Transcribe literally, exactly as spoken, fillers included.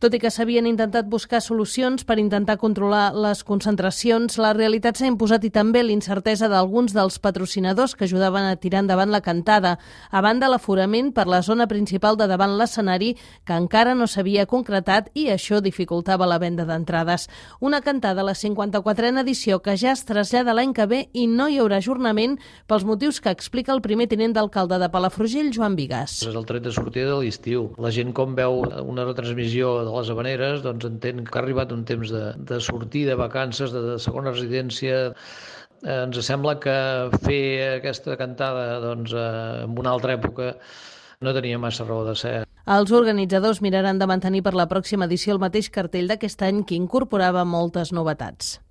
Tot i que s'havien intentat buscar solucions per intentar controlar les concentracions, la realitat s'ha imposat i també l'incertesa d'alguns dels patrocinadors que ajudaven a tirar endavant la cantada, a banda l'aforament per la zona principal de davant l'escenari, que encara no s'havia concretat i això dificultava la venda d'entrades. Una cantada a la cinquanta-quatrena edició que ja es trasllada l'any que ve i no hi haurà ajornament pels motius que explica el primer tinent d'alcalde de Palafrugell, Joan Bigàs. És el tret de sortida de l'estiu. La gent, com veu una retransmissió de les Havaneres, doncs entén que ha arribat un temps de, de sortir de vacances, de, de segona residència. Eh, ens sembla que fer aquesta cantada doncs, eh, en una altra època no tenia massa raó de ser. Els organitzadors miraran de mantenir per la pròxima edició el mateix cartell d'aquest any, que incorporava moltes novetats.